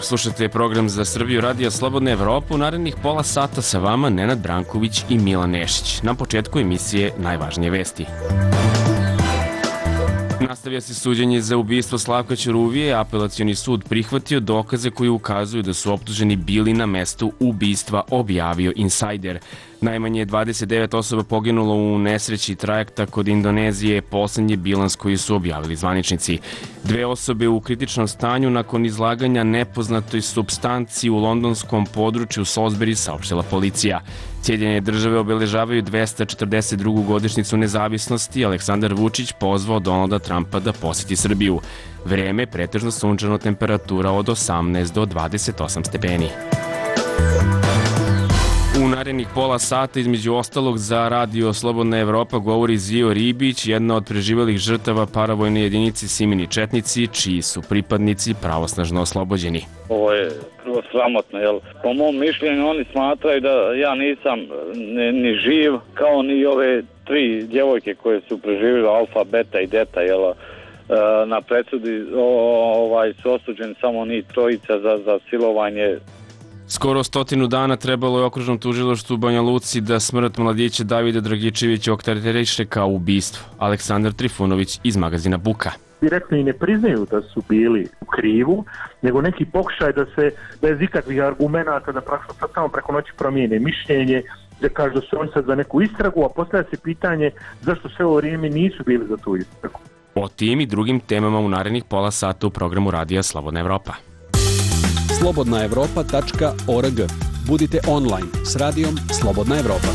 slušate program za Srbiju Radija Slobodna Evropa. U narednih pola sata sa vama Nenad Branković i Milan Nešić. Na početku emisije najvažnije vesti. Nastavlja se suđenje za ubistvo Slavka Ćuruvije. Apelacioni sud prihvatio dokaze koji ukazuju da su optuženi bili na mestu ubistva, objavio Insider. Najmanje 29 osoba poginulo u nesreći trajekta kod Indonezije, poslednji bilans koji su objavili zvaničnici. 2 osobe u kritičnom stanju nakon izlaganja nepoznatoj supstanci u londonskom području Salisbury, saopštila policija. Sjedinjene države obeležavaju 242. godišnjicu nezavisnosti. Aleksandar Vučić pozvao Donalda Trumpa da poseti Srbiju. Vreme pretežno sunčano, temperatura od 18 do 28 stepeni. U narednih pola sata, između ostalog, za Radio Slobodna Evropa govori Zio Ribić, jedna od preživelih žrtava paravojne jedinice Simini Četnici, čiji su pripadnici pravosnažno oslobođeni. Ovo je prvo sramotno, jer po mom mišljenju oni smatraju da ja nisam ni živ, kao ni ove 3 djevojke koje su preživjeli, alfa, beta i deta, na presudi su osuđeni samo ni 3 za silovanje. Skoro 100 dana trebalo je okružnom tužilaštvu u Banja Luci da smrt mladića Davida Dragičevića okarakteriše kao ubistvo. Aleksandar Trifunović iz magazina Buka. Direktno i ne priznaju da su bili u krivu, nego neki pokušaj da se bez ikakvih argumenata da praktično sad samo preko noći promijene mišljenje, da kažu da su oni sad za neku istragu, a postavlja se pitanje zašto sve ovo vrijeme nisu bili za tu istragu. O tim i drugim temama u narednih pola sata u programu Radija Slobodna Evropa. slobodnaevropa.org. Budite online s radijom Slobodna Evropa.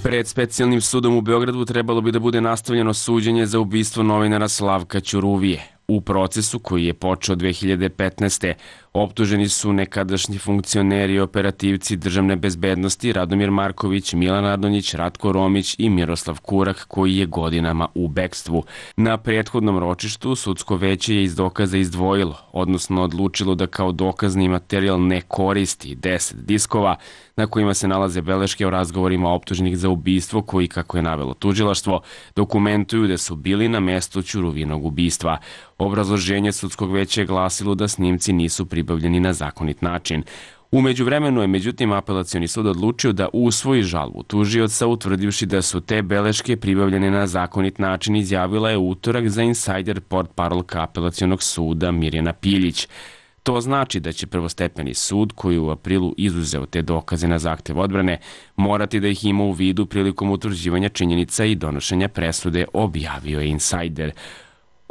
Pred specijalnim sudom u Beogradu trebalo bi da bude nastavljeno suđenje za ubistvo novinara Slavka Ćuruvije. U procesu koji je počeo 2015. optuženi su nekadašnji funkcioneri i operativci državne bezbednosti Radomir Marković, Milan Radonjić, Ratko Romić i Miroslav Kurak, koji je godinama u bekstvu. Na prethodnom ročištu sudsko veće je iz dokaza izdvojilo, odnosno odlučilo da kao dokazni materijal ne koristi 10 diskova na kojima se nalaze beleške o razgovorima optuženih za ubistvo koji, kako je navelo tužilaštvo, dokumentuju da su bili na mestu Ćuruvinog ubistva. Obrazloženje sudskog veća je glasilo da snimci nisu pribavljeni na zakonit način. U međuvremenu je međutim apelacioni sud odlučio da usvoji žalbu tužioca, utvrdivši da su te beleške pribavljene na zakonit način, izjavila je utorak za Insider portparolka apelacionog suda Mirjana Piljić. To znači da će prvostepeni sud, koji u aprilu izuzeo te dokaze na zahtev odbrane, morati da ih ima u vidu prilikom utvrđivanja činjenica i donošenja presude, objavio je Insider.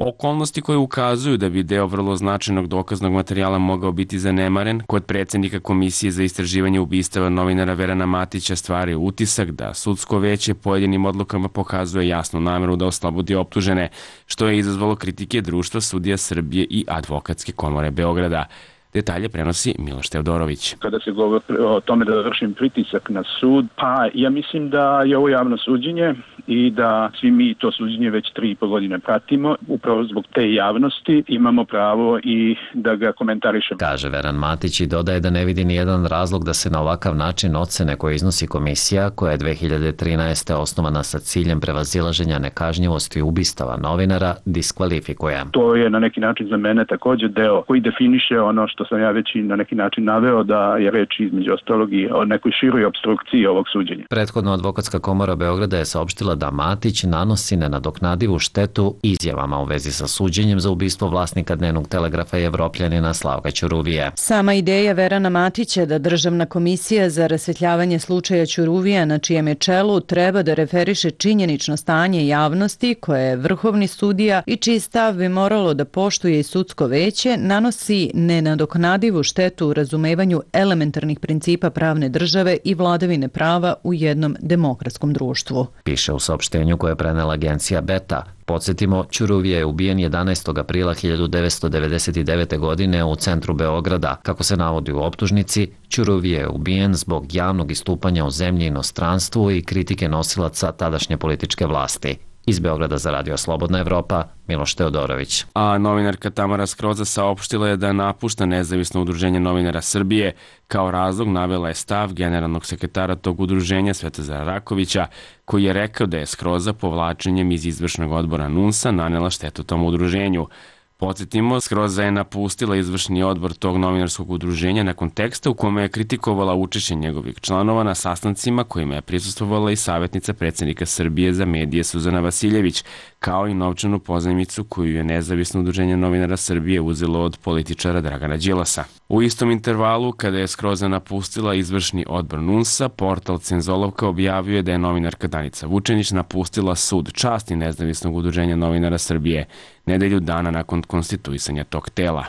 Okolnosti koje ukazuju da bi deo vrlo značajnog dokaznog materijala mogao biti zanemaren kod predsednika Komisije za istraživanje ubistava novinara Verana Matića stvaraju utisak da sudsko veće pojedinim odlukama pokazuje jasnu nameru da oslobodi optužene, što je izazvalo kritike Društva sudija Srbije i Advokatske komore Beograda. Detalje prenosi Miloš Teodorović. Kada se govori o tome da vršim pritisak na sud, pa ja mislim da je ovo javno suđenje i da svi mi to suđenje već 3,5 godine pratimo. Upravo zbog te javnosti imamo pravo i da ga komentarišemo. Kaže Veran Matić i dodaje da ne vidi ni jedan razlog da se na ovakav način ocene koje iznosi komisija, koja je 2013. osnovana sa ciljem prevazilaženja nekažnjivosti ubistava novinara, diskvalifikuje. To je na neki način za mene također deo koji definiše ono što sam ja već i na neki način naveo, da je reč između ostalog i o nekoj široj opstrukciji ovog suđenja. Prethodno Advokatska komora Beograda je saopštila da Matić nanosi nenadoknadivu štetu izjavama u vezi sa suđenjem za ubistvo vlasnika Dnevnog telegrafa i Evropljanina Slavka Ćuruvije. Sama ideja Verana Matića da Državna komisija za rasvetljavanje slučaja Ćuruvija, na čijem je čelu, treba da referiše činjenično stanje javnosti koje je vrhovni sudija i čiji stav bi moralo da poštuje i sudsko veće, nanosi nenadoknadivu štetu u razumevanju elementarnih principa pravne države i vladavine prava u jednom demokratskom društvu. Piše u saopštenju koje je prenela agencija Beta. Podsjetimo, Ćuruvije je ubijen 11. aprila 1999. godine u centru Beograda. Kako se navodi u optužnici, Ćuruvije je ubijen zbog javnog istupanja u zemlji i inostranstvu i kritike nosilaca tadašnje političke vlasti. Iz Beograda za Radio Slobodna Evropa, Miloš Teodorović. A novinarka Tamara Skroza saopštila je da napušta Nezavisno udruženje novinara Srbije. Kao razlog navela je stav generalnog sekretara tog udruženja Svetozara Rakovića, koji je rekao da je Skroza povlačenjem iz izvršnog odbora NUNS-a nanela štetu tom udruženju. Podsjetimo, Skroza je napustila izvršni odbor tog novinarskog udruženja nakon teksta u kome je kritikovala učešće njegovih članova na sastancima kojima je prisustvovala i savjetnica predsjednika Srbije za medije Suzana Vasiljević, kao i novčanu pozajmicu koju je nezavisno udruženje novinara Srbije uzelo od političara Dragana Đilasa. U istom intervalu, kada je Skroza napustila izvršni odbor NUNS-a, portal Cenzolovka objavio je da je novinarka Danica Vučenić napustila Sud časti nezavisnog udruženja novinara Srbije nedelju dana nakon konstituisanja tog tela.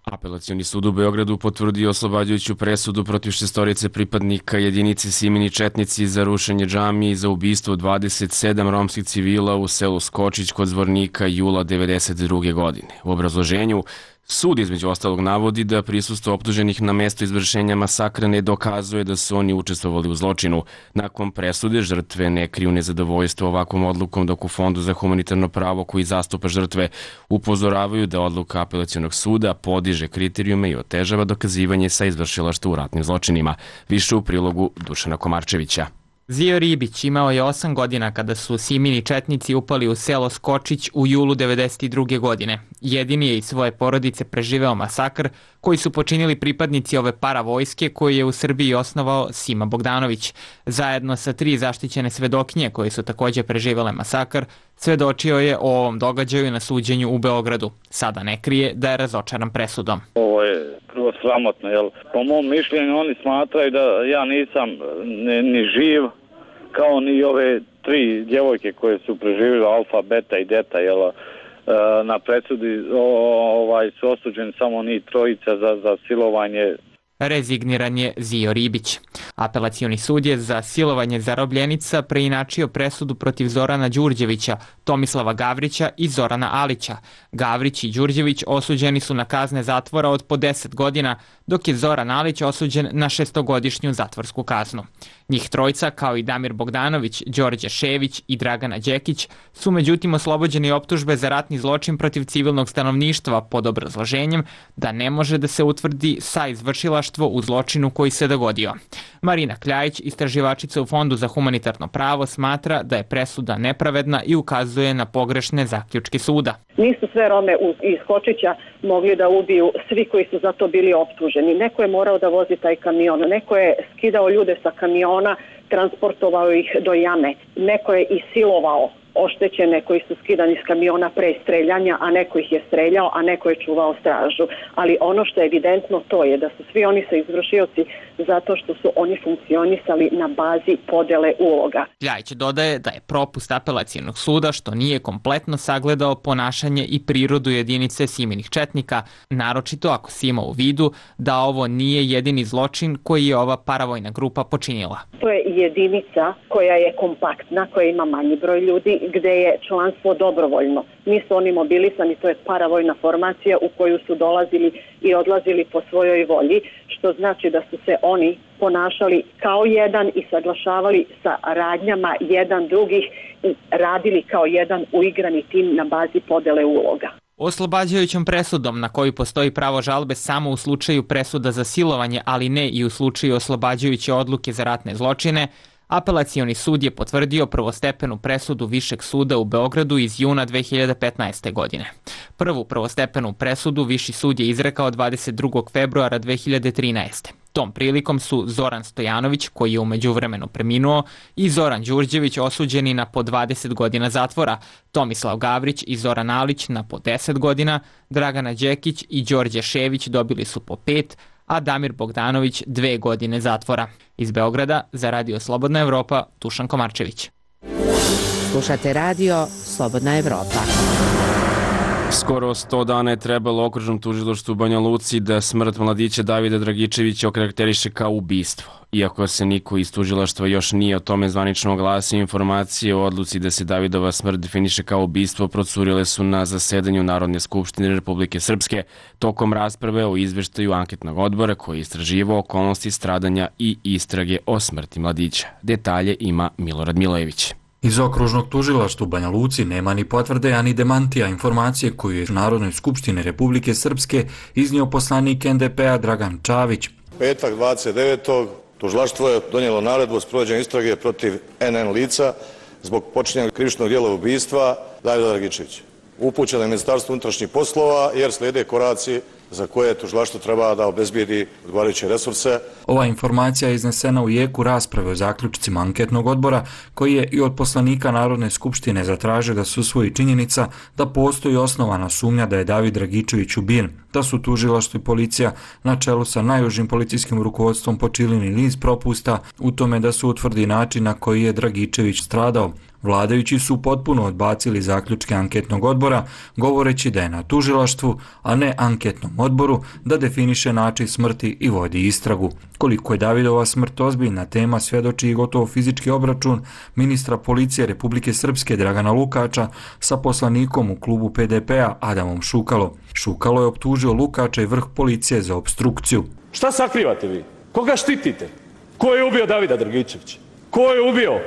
Apelacioni sud u Beogradu potvrdio oslobađajuću presudu protiv 6 pripadnika jedinice Simini Četnici za rušenje džamije i za ubistvo 27 romskih civila u selu Skočić kod Zvornika jula 1992. godine. U obrazloženju sud između ostalog navodi da prisustvo optuženih na mesto izvršenja masakra ne dokazuje da su oni učestvovali u zločinu. Nakon presude žrtve ne kriju nezadovoljstvo ovakvom odlukom, dok u Fondu za humanitarno pravo koji zastupa žrtve upozoravaju da odluka apelacionog suda podiže kriterijume i otežava dokazivanje sa izvršilaštva u ratnim zločinima. Više u prilogu Dušana Komarčevića. Zio Ribić imao je 8 godina kada su Simini Četnici upali u selo Skočić u julu 1992. godine. Jedini je iz svoje porodice preživeo masakr koji su počinili pripadnici ove paravojske koju je u Srbiji osnovao Sima Bogdanović. Zajedno sa 3 zaštićene svedokinje koje su također preživele masakr, svedočio je o ovom događaju na suđenju u Beogradu. Sada ne krije da je razočaran presudom. Ovo je prvo sramotno, jer po mom mišljenju oni smatraju da ja nisam ni živ, kao ni ove 3 djevojke koje su preživjele alfa, beta i deta, na presudi su osuđeni samo ni 3 za silovanje. Rezigniran je Zio Ribić. Apelacioni sud je za silovanje zarobljenica preinačio presudu protiv Zorana Đurđevića, Tomislava Gavrića i Zorana Alića. Gavrić i Đurđević osuđeni su na kazne zatvora od po 10 godina, dok je Zoran Alić osuđen na 6-godišnju zatvorsku kaznu. Njih 3, kao i Damir Bogdanović, Đorđe Šević i Dragana Đekić, su međutim oslobođeni optužbe za ratni zločin protiv civilnog stanovništva pod obrazloženjem da ne može da se utvrdi sa izvršilaštvo u zločinu koji se dogodio. Marina Kljajić, istraživačica u Fondu za humanitarno pravo, smatra da je presuda nepravedna i ukazuje na pogrešne zaključke suda. Nisu sve Rome iz Skočića mogli da ubiju svi koji su za to bili optuženi. Neko je morao da vozi taj kamion, neko je skidao ljude sa kamiona, transportovao ih do jame, neko je i silovao oštećene koji su skidani s kamiona pre streljanja, a neko ih je streljao, a neko je čuvao stražu. Ali ono što je evidentno to je da su svi oni sa izvršioci zato što su oni funkcionisali na bazi podele uloga. Ljajić dodaje da je propust apelacijonog suda što nije kompletno sagledao ponašanje i prirodu jedinice Siminih Četnika, naročito ako se ima u vidu da ovo nije jedini zločin koji je ova paravojna grupa počinila. To je jedinica koja je kompaktna, koja ima manji broj ljudi, gde je članstvo dobrovoljno. Nisu oni mobilisani, to je paravojna formacija u koju su dolazili i odlazili po svojoj volji, što znači da su se oni ponašali kao jedan i saglašavali sa radnjama jedan drugih i radili kao jedan uigrani tim na bazi podele uloga. Oslobađajućom presudom na koju postoji pravo žalbe samo u slučaju presuda za silovanje, ali ne i u slučaju oslobađajuće odluke za ratne zločine, Apelacioni sud je potvrdio prvostepenu presudu Višeg suda u Beogradu iz juna 2015. godine. Prvu prvostepenu presudu Viši sud je izrekao 22. februara 2013. Tom prilikom su Zoran Stojanović, koji je u međuvremenu preminuo, i Zoran Đurđević osuđeni na po 20 godina zatvora, Tomislav Gavrić i Zoran Alić na po 10 godina, Dragana Đekić i Đorđe Šević dobili su po 5, a Damir Bogdanović 2 godine zatvora. Iz Beograda za Radio Slobodna Evropa, Dušan Komarčević. Slušate Radio Slobodna Evropa. Skoro 100 dana je trebalo okružnom tužilaštvu u Banja Luci da smrt mladića Davida Dragičevića okarakteriše kao ubistvo. Iako se niko iz tužilaštva još nije o tome zvanično oglasio, informacije o odluci da se Davidova smrt definiše kao ubistvo procurile su na zasedanju Narodne skupštine Republike Srpske tokom rasprave o izveštaju anketnog odbora koji je istraživao okolnosti stradanja i istrage o smrti mladića. Detalje ima Milorad Milojević. Iz okružnog tužilaštva u Banja Luci nema ni potvrde, ani demantija informacije koju je Narodnoj skupštini Republike Srpske iznio poslanik NDP-a Dragan Čavić. Petak 29. tužilaštvo je donijelo naredbu o sprovođenju istrage protiv NN lica zbog počinjenja krivičnog djela ubistva Davida Dragičevića. upućena Ministarstvu unutrašnjih poslova jer slijede koraci za koje tužilaštvo treba da obezbijedi odgovarajuće resurse. Ova informacija je iznesena u jeku rasprave o zaključcima anketnog odbora koji je i od poslanika Narodne skupštine zatražio da se usvoji činjenica da postoji osnovana sumnja da je David Dragičević ubijen, da su tužilaštvo i policija na čelu sa najužim policijskim rukovodstvom počinili niz propusta u tome da se utvrdi način na koji je Dragičević stradao. Vladajući su potpuno odbacili zaključke anketnog odbora, govoreći da je na tužilaštvu, a ne anketnom odboru, da definiše način smrti i vodi istragu. Koliko je Davidova smrt ozbiljna tema svjedoči i gotovo fizički obračun ministra policije Republike Srpske Dragana Lukača sa poslanikom u klubu PDP-a Adamom Šukalo. Šukalo je optužio Lukača i vrh policije za opstrukciju. Šta sakrivate vi? Koga štitite? Ko je ubio Davida Dragičevića? Ko je ubio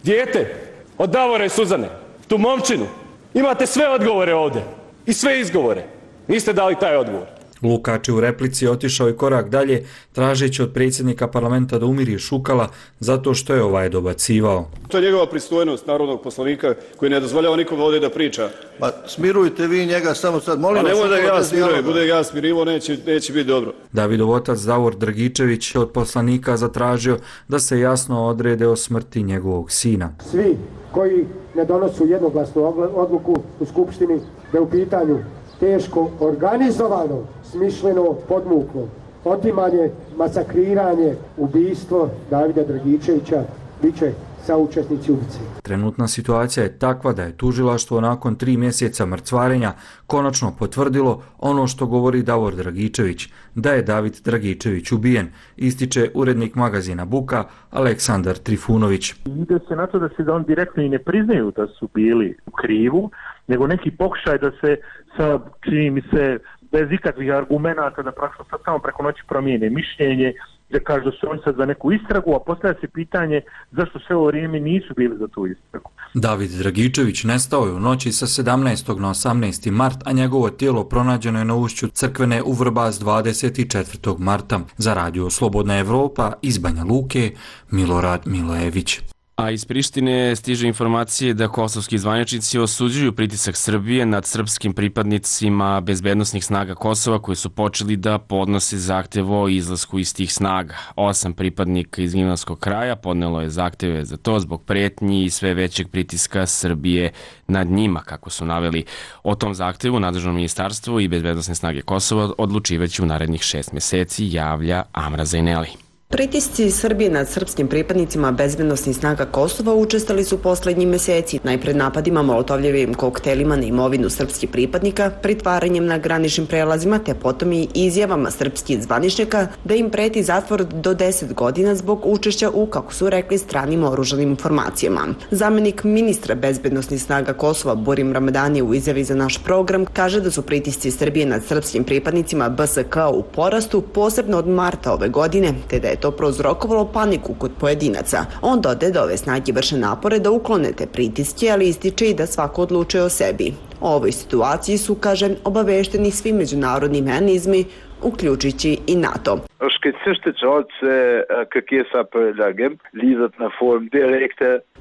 dijete od Davora i Suzane? Tu momčinu? Imate sve odgovore ovdje i sve izgovore. Niste dali taj odgovor. Lukač je u replici otišao i korak dalje, tražeći od predsjednika parlamenta da umiri Šukala zato što je ovaj dobacivao. To je njegova pristojnost narodnog poslanika koji ne dozvoljava nikom ovdje da priča. Pa smirujte vi njega samo sad, molim vas. Nemoj da ja smirujem, bude ja smirivo, neće biti dobro. Davidov otac Davor Dragičević od poslanika zatražio da se jasno odrede o smrti njegovog sina. Svi koji ne donosu jednoglasnu odluku u Skupštini da je u pitanju teško organizovano, smišljeno, podmuklo otimanje, masakriranje, ubistvo Davida Dragičevića bit će saučesnici ubice. Trenutna situacija je takva da je tužilaštvo nakon 3 mjeseca mrcvarenja konačno potvrdilo ono što govori Davor Dragičević, da je David Dragičević ubijen, ističe urednik magazina Buka Aleksandar Trifunović. Ide se na to da se on direktno i ne priznaju da su bili u krivu, nego neki pokušaj da se sa, čini mi se, bez ikakvih argumenata da praktično sad samo preko noći promijene mišljenje, da kažu da su oni sad za neku istragu, a postavlja se pitanje zašto sve ovo vrijeme nisu bili za tu istragu. David Dragičević nestao je u noći sa 17. na 18. mart, a njegovo tijelo pronađeno je na ušću Crkvene u Vrbas 24. marta. Za radio Slobodna Evropa iz Banja Luke, Milorad Milojević. A iz Prištine stiže informacije da kosovski zvaničnici osuđuju pritisak Srbije nad srpskim pripadnicima bezbednosnih snaga Kosova koji su počeli da podnose zahtev o izlasku iz tih snaga. 8 pripadnika iz Gnjilanskog kraja podnelo je zahteve za to zbog pretnji i sve većeg pritiska Srbije nad njima, kako su naveli. O tom zahtevu nadležno ministarstvo i bezbednosne snage Kosova odlučivaće u narednih 6 mjeseci, javlja Amra Zajneli. Pritisci Srbije nad srpskim pripadnicima bezbednosnih snaga Kosova učestali su poslednji meseci, najpred napadima molotovljevim koktelima na imovinu srpskih pripadnika, pritvaranjem na graničnim prelazima, te potom i izjavama srpskih zvaničnika da im preti zatvor do 10 godina zbog učešća u, kako su rekli, stranim oružanim formacijama. Zamenik ministra bezbednosnih snaga Kosova Burim Ramadani u izjavi za naš program kaže da su pritisci Srbije nad srpskim pripadnicima BSK u porastu, posebno od marta ove godine, te da je to prouzrokovalo paniku kod pojedinaca. On dodaje da ove snage vrše napore da uklone te pritiske, ali ističe i da svako odlučuje o sebi. O ovoj situaciji su, kaže, obavešteni svi međunarodni mehanizmi, uključujući i NATO.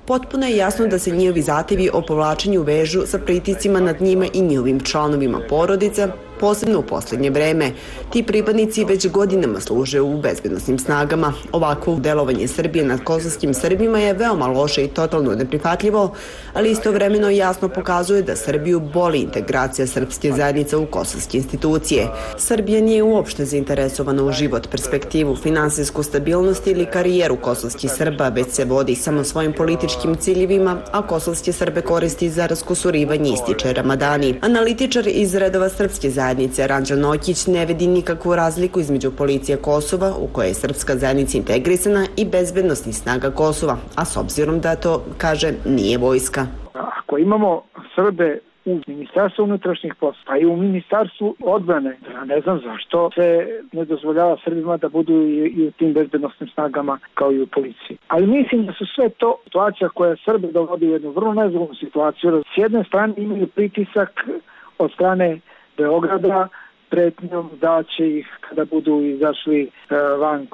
Potpuno je jasno da se njihovi zahtevi o povlačenju vežu sa pritiscima nad njima i njihovim članovima porodica, posebno u posljednje vreme. Ti pripadnici već godinama služe u bezbednosnim snagama. Ovakvo delovanje Srbije nad kosovskim Srbima je veoma loše i totalno neprihvatljivo, ali istovremeno jasno pokazuje da Srbiju boli integracija srpske zajednice u kosovske institucije. Srbija nije uopšte zainteresovana u život, perspektivu, finansijsku stabilnost ili karijeru kosovskih Srba, već se vodi samo svojim političkim ciljevima, a kosovske Srbe koristi za raskusurivanje, ističe Ramadani. Analitičar iz redova srpske zajednice Ranđel Nokić ne vidi nikakvu razliku između policije Kosova, u kojoj je srpska zajednica integrisana, i bezbednosnih snaga Kosova, a s obzirom da to, kaže, nije vojska. Ako imamo Srbe u Ministarstvu unutrašnjih poslova, pa i u Ministarstvu odbrane, ja ne znam zašto se ne dozvoljava Srbima da budu i u tim bezbednosnim snagama kao i u policiji. Ali mislim da su sve to situacija koja Srbe dovodi u jednu vrlo nezgodnu situaciju. S jedne strane imaju pritisak od strane Beograda pretnjom da će ih, kada budu izašli van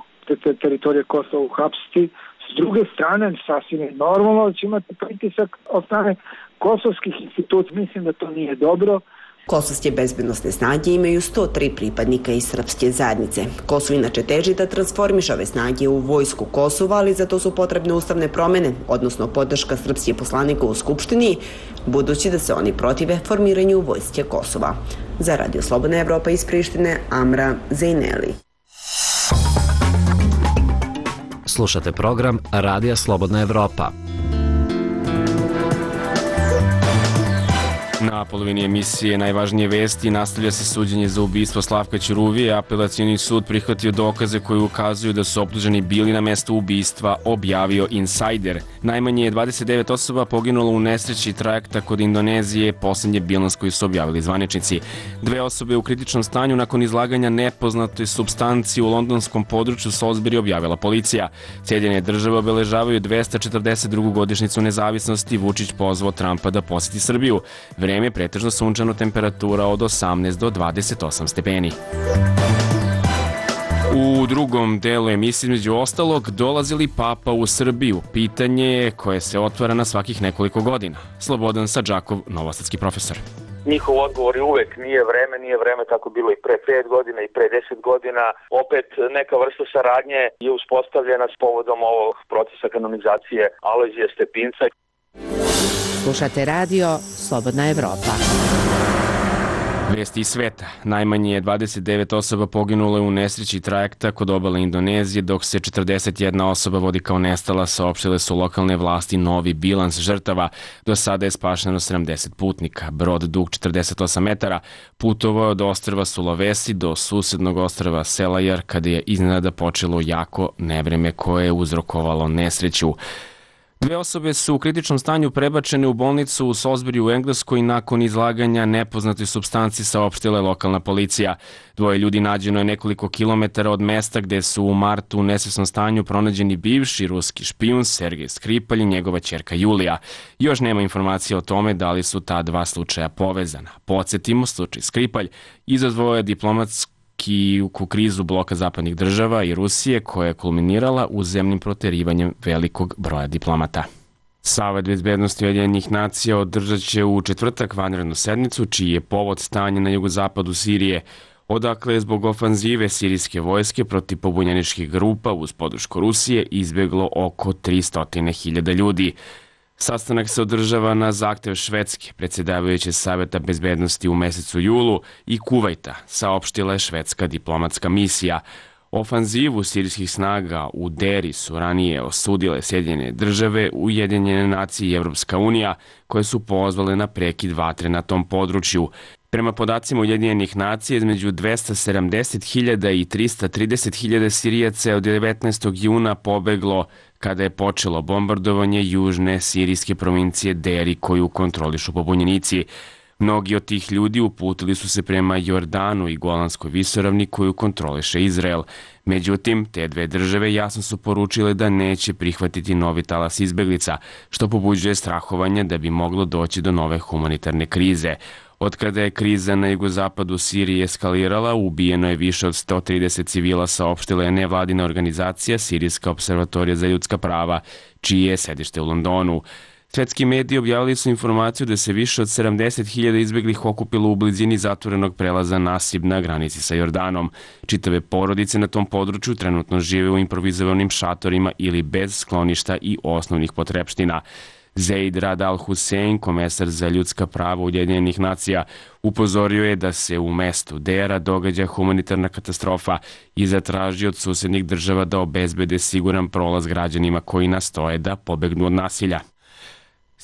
teritorije Kosova, uhapsiti. S druge strane, sasvim je normalno da će imati pritisak od strane kosovskih institucija. Mislim da to nije dobro. Kosovske bezbednosne snage imaju 103 pripadnika iz srpske zajednice. Kosovo inače teži da transformiše ove snage u vojsku Kosova, ali za to su potrebne ustavne promene, odnosno podrška srpskih poslanika u Skupštini, budući da se oni protive formiranju vojske Kosova. Za Radio Slobodna Evropa iz Prištine, Amra Zejneli. Slušate program Radija Slobodna Evropa. Na polovini emisije Najvažnije vesti nastavlja se suđenje za ubistvo Slavka Ćuruvije. Apelacioni sud prihvatio dokaze koji ukazuju da su optuženi bili na mestu ubistva, objavio Insider. Najmanje je 29 osoba poginulo u nesreći trajekta kod Indonezije, posljednji bilans koji su objavili zvaničnici. 2 osobe u kritičnom stanju nakon izlaganja nepoznatoj supstanci u londonskom području Salisbury, objavila policija. Sjedinjene države obeležavaju 242. godišnjicu nezavisnosti. Vučić pozvao Trumpa da poseti Srbiju. Vreme je pretežno sunčano, temperatura od 18 do 28 stepeni. U drugom delu emisije, između ostalog, dolazi li Papa u Srbiju? Pitanje je koje se otvara na svakih nekoliko godina. Slobodan Sadžakov, novosadski profesor. Njihov odgovor je uvek nije vreme, tako bilo i pre 5 godina i pre 10 godina. Opet neka vrsta saradnje je uspostavljena s povodom ovog procesa kanonizacije Alojzija Stepinca. Slušate radio Slobodna Evropa. Vesti iz sveta. Najmanje je 29 osoba poginulo u nesreći trajekta kod obale Indonezije, dok se 41 osoba vodi kao nestala, saopštile su lokalne vlasti novi bilans žrtava. Do sada je spašeno 70 putnika. Brod dug 48 metara putovao od ostrva Sulawesi do susednog ostrva Selajar, kada je iznenada počelo jako nevreme koje je uzrokovalo nesreću. 2 osobe su u kritičnom stanju prebačene u bolnicu u Salisbury u Engleskoj nakon izlaganja nepoznatoj supstanci, saopštila je lokalna policija. 2 ljudi nađeno je nekoliko kilometara od mesta gde su u martu u nesvesnom stanju pronađeni bivši ruski špijun Sergej Skripalj i njegova ćerka Julija. Još nema informacije o tome da li su ta 2 slučaja povezana. Podsjetimo, slučaj Skripalj izazvao je diplomatsku krizu bloka zapadnih država i Rusije, koja je kulminirala uzemnim proterivanjem velikog broja diplomata. Savet bezbednosti Ujedinjenih nacija održat će u četvrtak vanrednu sednicu, čiji je povod stanje na jugozapadu Sirije, odakle je zbog ofanzive sirijske vojske protiv pobunjeničkih grupa uz podršku Rusije izbjeglo oko 300.000 ljudi. Sastanak se održava na zahtev Švedske, predsjedavajuće Saveta bezbednosti u mesecu julu, i Kuvajta, saopštila je švedska diplomatska misija. Ofanzivu sirijskih snaga u Deri su ranije osudile Sjedinjene države, Ujedinjene nacije i Evropska unija, koje su pozvale na prekid vatre na tom području. Prema podacima Ujedinjenih nacija, između 270.000 i 330.000 Sirijaca je od 19. juna pobeglo kada je počelo bombardovanje južne sirijske provincije Deri, koju kontrolišu pobunjenici. Mnogi od tih ljudi uputili su se prema Jordanu i Golanskoj visoravni, koju kontroliše Izrael. Međutim, te 2 države jasno su poručile da neće prihvatiti novi talas izbeglica, što pobuđuje strahovanje da bi moglo doći do nove humanitarne krize. Od kada je kriza na jugozapadu Sirije eskalirala, ubijeno je više od 130 civila, saopštila je nevladina organizacija Sirijska observatorija za ljudska prava, čije je sedište u Londonu. Svetski mediji objavili su informaciju da se više od 70.000 izbeglih okupilo u blizini zatvorenog prelaza Nasib na granici sa Jordanom. Čitave porodice na tom području trenutno žive u improvizovanim šatorima ili bez skloništa i osnovnih potrepština. Zeid Rad al-Hussein, komesar za ljudska prava Ujedinjenih nacija, upozorio je da se u mestu Dera događa humanitarna katastrofa i zatražio od susednih država da obezbede siguran prolaz građanima koji nastoje da pobegnu od nasilja.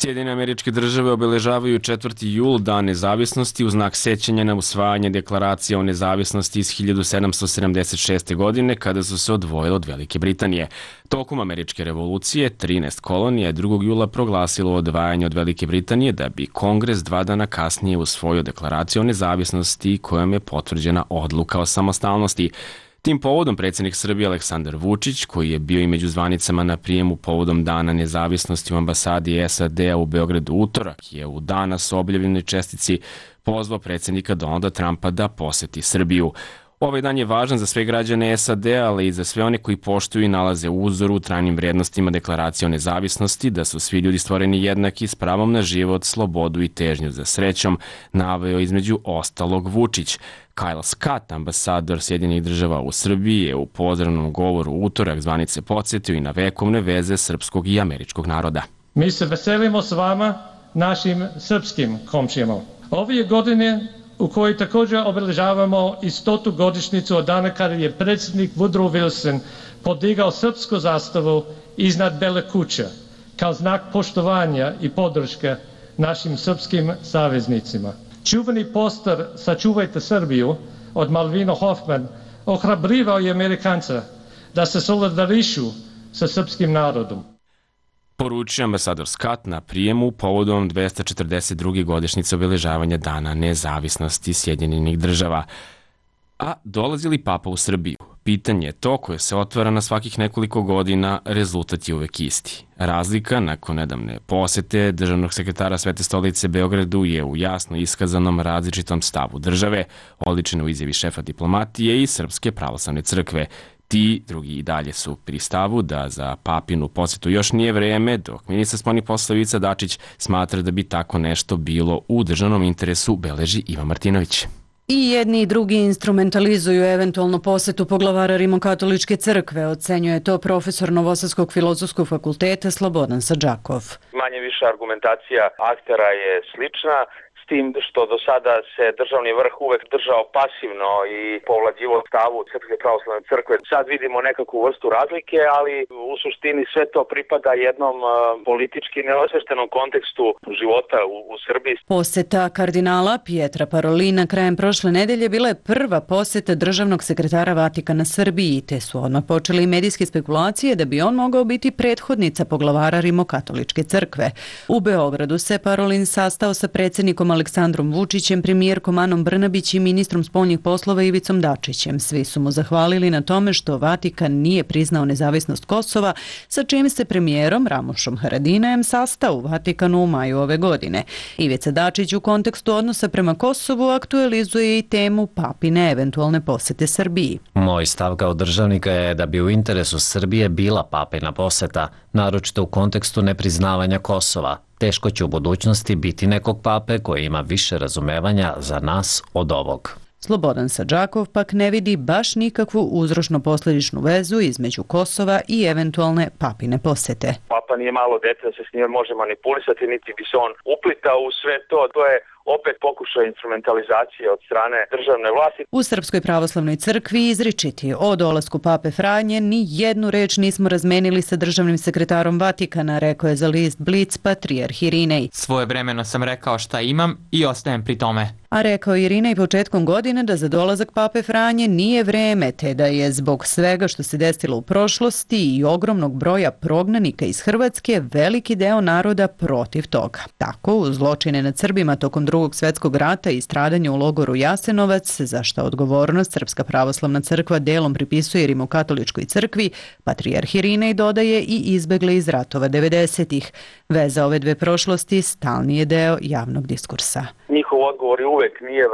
Sjedinjene Američke države obeležavaju 4. jul, Dan nezavisnosti, u znak sećanja na usvajanje deklaracije o nezavisnosti iz 1776. godine, kada su se odvojile od Velike Britanije. Tokom Američke revolucije, 13 kolonija 2. jula proglasilo odvajanje od Velike Britanije, da bi Kongres 2 dana kasnije usvojio deklaraciju o nezavisnosti kojom je potvrđena odluka o samostalnosti. Tim povodom predsjednik Srbije Aleksandar Vučić, koji je bio i među zvanicama na prijemu povodom Dana nezavisnosti u ambasadi SAD-a u Beogradu utorak, je u danas objavljenoj čestici pozvao predsjednika Donalda Trumpa da poseti Srbiju. Ovaj dan je važan za sve građane SAD, ali i za sve one koji poštuju i nalaze uzor u trajnim vrednostima Deklaracije o nezavisnosti, da su svi ljudi stvoreni jednaki s pravom na život, slobodu i težnju za srećom, naveo između ostalog Vučić. Kyle Scott, ambasador Sjedinjenih država u Srbiji, je u pozdravnom govoru utorak zvanice podsjetio i na vekovne veze srpskog i američkog naroda. Mi se veselimo s vama, našim srpskim komšijama. Ove godine u kojoj također obeležavamo i 100. godišnjicu od dana kada je predsjednik Woodrow Wilson podigao srpsku zastavu iznad Bele kuće kao znak poštovanja i podrške našim srpskim saveznicima. Čuveni poster Sačuvajte Srbiju od Malvina Hoffman ohrabrivao je Amerikanca da se solidarišu sa srpskim narodom. Poručio ambasador Scott na prijemu povodom 242. godišnjice obeležavanja Dana nezavisnosti Sjedinjenih država. A dolazi li Papa u Srbiju? Pitanje je to koje se otvara na svakih nekoliko godina, rezultat je uvek isti. Razlika nakon nedavne posete državnog sekretara Svete stolice Beogradu je u jasno iskazanom različitom stavu države, oličeno u izjavi šefa diplomatije i Srpske pravoslavne crkve. Ti drugi i dalje su pri stavu da za papinu posetu još nije vreme, dok ministar spoljnih poslova Ivica Dačić smatra da bi tako nešto bilo u državnom interesu, beleži Ivan Martinović. I jedni i drugi instrumentalizuju eventualno posetu poglavara Rimokatoličke crkve, ocenjuje to profesor Novosadskog filozofskog fakulteta Slobodan Sadžakov. Manje više argumentacija aktera je slična, s tim što do sada se državni vrh uvek držao pasivno i povlađivo stavu Srpske pravoslavne crkve. Sad vidimo nekakvu vrstu razlike, ali u suštini sve to pripada jednom politički neosveštenom kontekstu života u Srbiji. Poseta kardinala Pietra Parolina krajem prošle nedelje bila je prva poseta državnog sekretara Vatikana Srbiji, te su odmah počeli i medijske spekulacije da bi on mogao biti prethodnica poglavara Rimokatoličke crkve. U Beogradu se Parolin sastao sa predsjednikom Aleksandrom Vučićem, premijerkom Anom Brnabić i ministrom spoljnih poslova Ivicom Dačićem. Svi su mu zahvalili na tome što Vatikan nije priznao nezavisnost Kosova, sa čim se premijerom Ramošom Haradinajem sastao u Vatikanu u maju ove godine. Ivica Dačić u kontekstu odnosa prema Kosovu aktualizuje i temu papine eventualne posete Srbiji. Moj stav kao državnika je da bi u interesu Srbije bila papina poseta, naročito u kontekstu nepriznavanja Kosova. Teško će u budućnosti biti nekog pape koji ima više razumevanja za nas od ovog. Slobodan Sadžakov pak ne vidi baš nikakvu uzročno-posljedičnu vezu između Kosova i eventualne papine posete. Papa nije malo dete da se s njime može manipulisati, niti bi se on uplitao u sve to. To je opet pokušaj instrumentalizacije od strane državne vlasti. U Srpskoj pravoslavnoj crkvi izričiti o dolasku pape Franje ni jednu reč nismo razmenili sa državnim sekretarom Vatikana, rekao je za list Blic patrijarh Irinej. Svojevremeno sam rekao šta imam i ostajem pri tome. A rekao Irinej početkom godine da za dolazak pape Franje nije vreme, te da je zbog svega što se desilo u prošlosti i ogromnog broja prognanika iz Hrvatske veliki deo naroda protiv toga. Tako, uz zločine nad Srbima tokom Drugog svjetskog rata i stradanje u logoru Jasenovac, za što odgovornost Srpska pravoslavna crkva delom pripisuje Rimokatoličkoj crkvi, patrijarh Irinej dodaje i izbegle iz ratova 90-ih. Veza ove dve prošlosti stalni je deo javnog diskursa. Njihov odgovor je uvek nije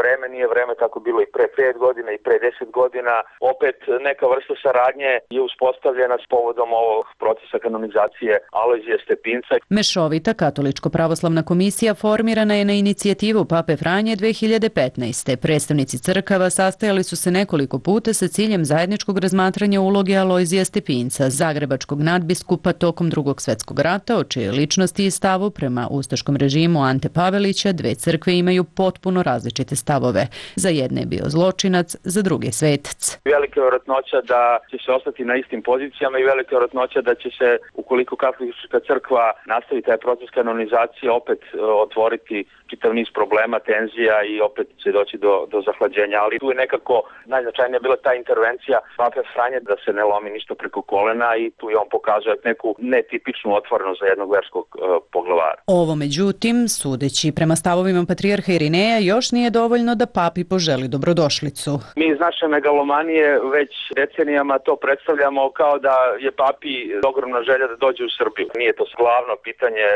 vreme, tako bilo i pre 5 godina i pre 10 godina. Opet neka vrsta saradnje je uspostavljena s povodom ovog procesa kanonizacije Alojzija Stepinca. Mešovita katoličko-pravoslavna komisija formirana je na inicijativu pape Franje 2015. Predstavnici crkava sastajali su se nekoliko puta sa ciljem zajedničkog razmatranja uloge Alojzija Stepinca, zagrebačkog nadbiskupa tokom Drugog svjetskog rata, o čijoj ličnosti i stavu prema ustaškom režimu Ante Pavelića dve crkve imaju potpuno različite stavove. Za jedne je bio zločinac, za druge svetac. Velika je vjerojatnoća da će se ostati na istim pozicijama i velika je vjerojatnoća da će se, ukoliko katolička crkva nastavi taj proces kanonizacije, opet otvoriti čitav niz problema, tenzija i opet će doći do zahlađenja. Ali tu je nekako najznačajnija bila ta intervencija pape Franje da se ne lomi ništa preko kolena i tu je on pokazuje neku netipičnu otvorenost za jednog verskog poglavara. Ovo, međutim, sudeći prema stavovima patrijarha Irineja, još nije dovoljno da papi poželi dobrodošlicu. Mi iz naše megalomanije već decenijama to predstavljamo kao da je papi ogromna želja da dođe u Srbiju. Nije to glavno pitanje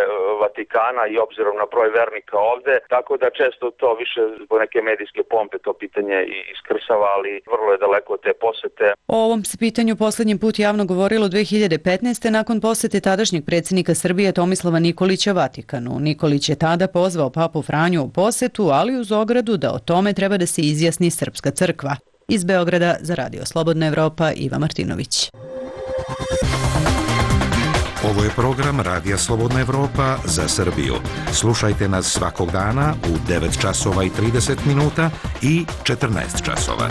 Vatikana i obzirom na broj vernika ovde, tako tako da često to više zbog neke medijske pompe to pitanje i iskrsava, ali vrlo je daleko od te posete. O ovom se pitanju poslednji put javno govorilo 2015. nakon posete tadašnjeg predsjednika Srbije Tomislava Nikolića Vatikanu. Nikolić je tada pozvao papu Franju u posetu, ali uz ogradu da o tome treba da se izjasni Srpska crkva. Iz Beograda za Radio Slobodna Evropa, Iva Martinović. Ovo je program Radija Slobodna Evropa za Srbiju. Slušajte nas svakog dana u 9 časova i 30 minuta i 14 časova.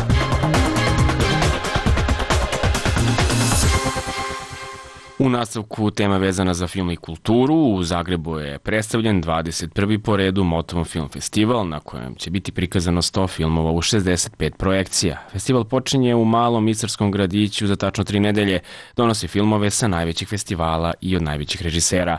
U nastavku tema vezana za film i kulturu. U Zagrebu je predstavljen 21. po redu Motovom film festival, na kojem će biti prikazano 100 filmova u 65 projekcija. Festival počinje u malom istarskom gradiću za tačno 3 nedelje, donosi filmove sa najvećih festivala i od najvećih režisera.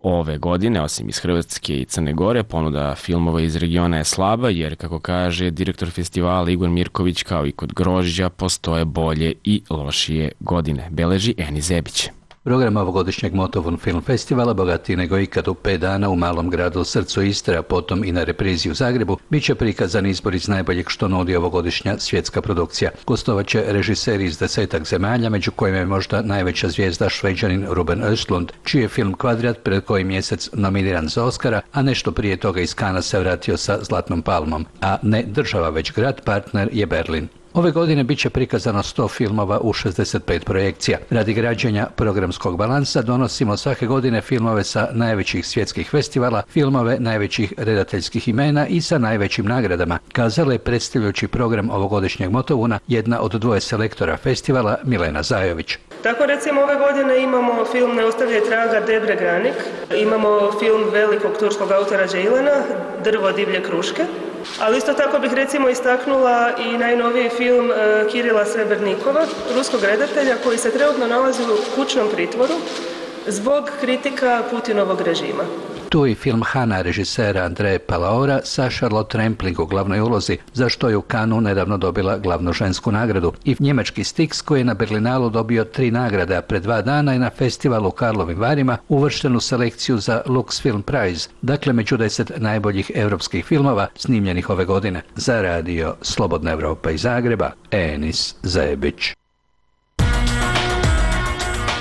Ove godine, osim iz Hrvatske i Crne Gore, ponuda filmova iz regiona je slaba, jer, kako kaže direktor festivala Igor Mirković, kao i kod grožđa, postoje bolje i lošije godine, beleži Eni Zebić. Program ovogodišnjeg Motovun film festivala, bogatiji nego ikad u 5 dana u malom gradu u srcu Istre, a potom i na reprizi u Zagrebu, bit će prikazan izbor iz najboljeg što nudi ovogodišnja svjetska produkcija. Gostovaće režiseri iz 10 zemalja, među kojima je možda najveća zvijezda Šveđanin Ruben Östlund, čiji je film Kvadrat pred koji mjesec nominiran za Oscara, a nešto prije toga iz Kana se vratio sa Zlatnom palmom. A ne država, već grad partner je Berlin. Ove godine bit će prikazano 100 filmova u 65 projekcija. Radi građenja programskog balansa donosimo svake godine filmove sa najvećih svjetskih festivala, filmove najvećih redateljskih imena i sa najvećim nagradama, kazala je predstavljajući program ovogodišnjeg Motovuna jedna od 2 selektora festivala, Milena Zajović. Tako recimo ove godine imamo film Ne ostavljaj traga Debre Granik, imamo film velikog turskog autora Džejlana, Drvo divlje kruške, ali isto tako bih recimo istaknula i najnoviji film Kirila Srebrnikova, ruskog redatelja koji se trenutno nalazi u kućnom pritvoru zbog kritika Putinovog režima. Tu i film Hana režisera Andreje Palaora sa Charlotte Rampling u glavnoj ulozi, za što je u Kanu nedavno dobila glavnu žensku nagradu. I njemački Styx koji je na Berlinalu dobio 3 nagrade, a pred 2 dana je na festivalu u Karlovim Varima uvršten u selekciju za Lux Film Prize, dakle među 10 najboljih europskih filmova snimljenih ove godine. Za Radio Slobodna Evropa iz Zagreba, Enis Zebić.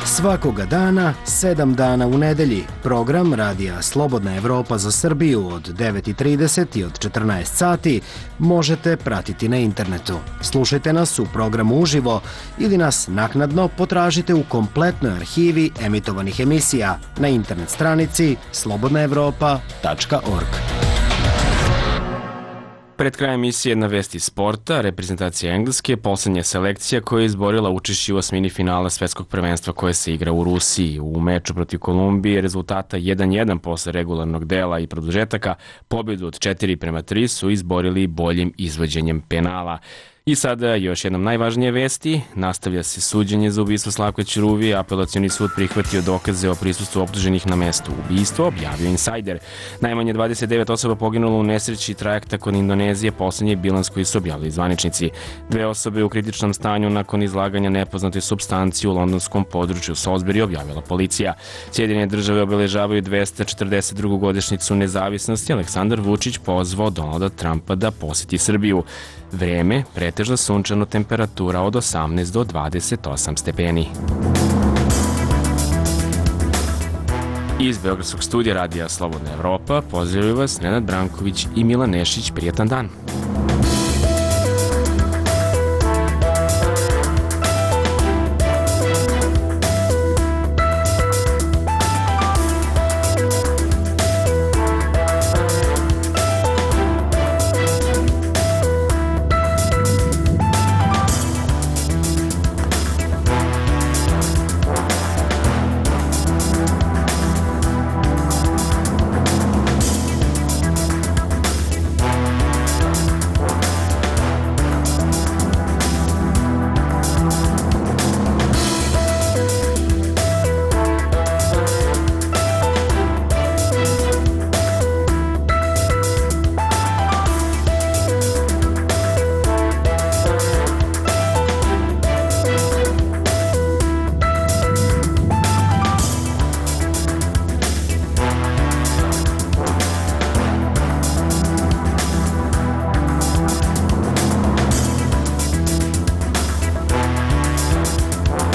Svakoga dana, 7 dana u nedelji, program Radija Slobodna Evropa za Srbiju od 9:30 i od 14 sati možete pratiti na internetu. Slušajte nas u programu uživo ili nas naknadno potražite u kompletnoj arhivi emitovanih emisija na internet stranici slobodnaevropa.org. Pred krajem emisije na vesti sporta, reprezentacija Engleske, poslednja selekcija koja je izborila učešće u osmini finala svetskog prvenstva koje se igra u Rusiji. U meču protiv Kolumbije rezultata 1:1 posle regularnog dela i produžetaka, pobjedu od 4:3 su izborili boljim izvođenjem penala. I sada još jednom najvažnije vesti. Nastavlja se suđenje za ubistvo Slavka Ćuruvije. Apelacioni sud prihvatio dokaze o prisustvu optuženih na mestu ubistva, objavio Insider. Najmanje 29 osoba poginulo u nesreći trajekta kod Indonezije, poslednji bilans koji su objavili zvaničnici. 2 osobe u kritičnom stanju nakon izlaganja nepoznate supstancije u londonskom području Salisbury, objavila policija. Sjedinjene države obeležavaju 242. godišnjicu nezavisnosti. Aleksandar Vučić pozvao Donalda Trumpa da poseti Srbiju. Vreme, pretežno sunčano, temperatura od 18 do 28 stepeni. Iz Beogradskog studija Radija Slobodna Evropa pozdravljaju vas Nenad Branković i Milan Nešić. Prijatan dan!